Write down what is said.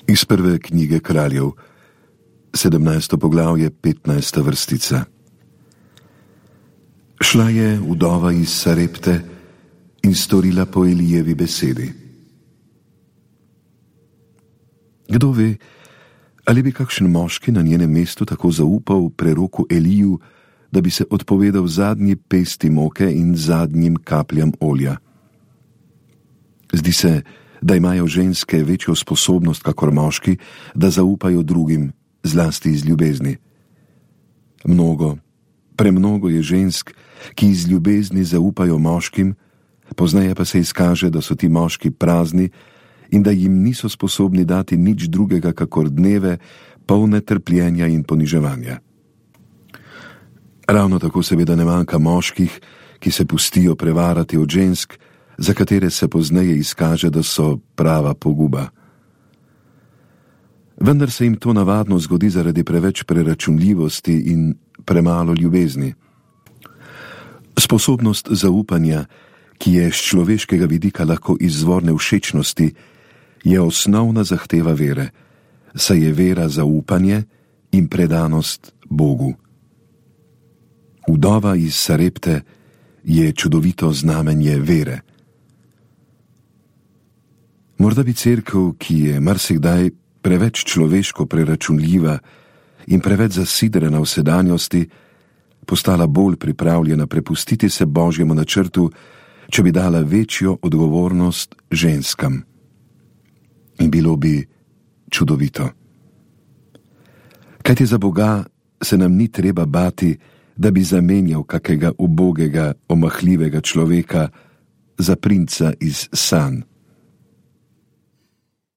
Iz prve knjige Kraljev, 17. poglavje, 15. vrstica. Šla je vdova iz Sarepte in storila po Elijevi besedi. Kdo ve, ali bi kakšen moški na njenem mestu tako zaupal preroku Eliju, da bi se odpovedal zadnji pesti moke in zadnjim kapljam olja. Zdi se, da imajo ženske večjo sposobnost kakor moški, da zaupajo drugim, zlasti iz ljubezni. Premnogo je žensk, ki iz ljubezni zaupajo moškim, pozneje pa se izkaže, da so ti moški prazni in da jim niso sposobni dati nič drugega kakor dneve, polne trpljenja in poniževanja. Ravno tako seveda ne manjka moških, ki se pustijo prevarati od žensk, za katere se pozneje izkaže, da so prava poguba. Vendar se jim to navadno zgodi zaradi preveč preračunljivosti in premalo ljubezni. Sposobnost zaupanja, ki je z človeškega vidika lahko izvor nevšečnosti, je osnovna zahteva vere, saj je vera zaupanje in predanost Bogu. Vdova iz Sarepte je čudovito znamenje vere. Morda bi cerkev, ki je marsikdaj preveč človeško preračunljiva in preveč zasidrana v sedanjosti, postala bolj pripravljena prepustiti se Božjemu načrtu, če bi dala večjo odgovornost ženskam. In bilo bi čudovito. Kajti za Boga se nam ni treba bati, da bi zamenjal kakega ubogega, omahljivega človeka za princa iz sanj.